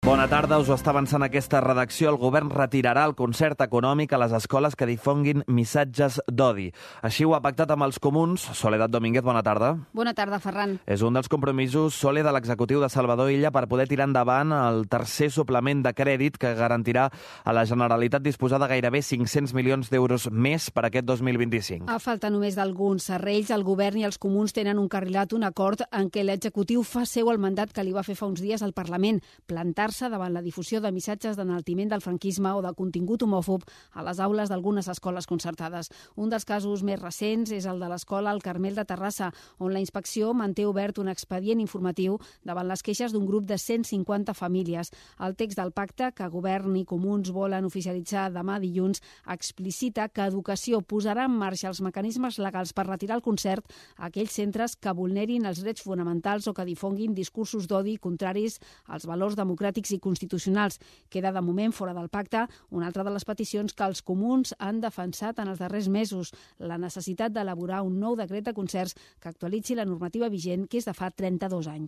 Bona tarda, us ho està avançant aquesta redacció. El govern retirarà el concert econòmic a les escoles que difonguin missatges d'odi. Així ho ha pactat amb els comuns. Soledad Domínguez, bona tarda. Bona tarda, Ferran. És un dels compromisos, Sole, de l'executiu de Salvador Illa per poder tirar endavant el tercer suplement de crèdit que garantirà a la Generalitat disposar de gairebé 500 milions d'euros més per aquest 2025. A falta només d'alguns serrells, el govern i els comuns tenen encarrilat un acord en què l'executiu fa seu el mandat que li va fer fa uns dies al Parlament, plantar-se davant la difusió de missatges d'enaltiment del franquisme o de contingut homòfob a les aules d'algunes escoles concertades. Un dels casos més recents és el de l'escola El Carmel de Terrassa, on la inspecció manté obert un expedient informatiu davant les queixes d'un grup de 150 famílies. El text del pacte, que govern i comuns volen oficialitzar demà dilluns, explicita que Educació posarà en marxa els mecanismes legals per retirar el concert a aquells centres que vulnerin els drets fonamentals o que difonguin discursos d'odi contraris als valors democràtics i constitucionals. Queda de moment fora del pacte una altra de les peticions que els comuns han defensat en els darrers mesos, la necessitat d'elaborar un nou decret de concerts que actualitzi la normativa vigent, que és de fa 32 anys.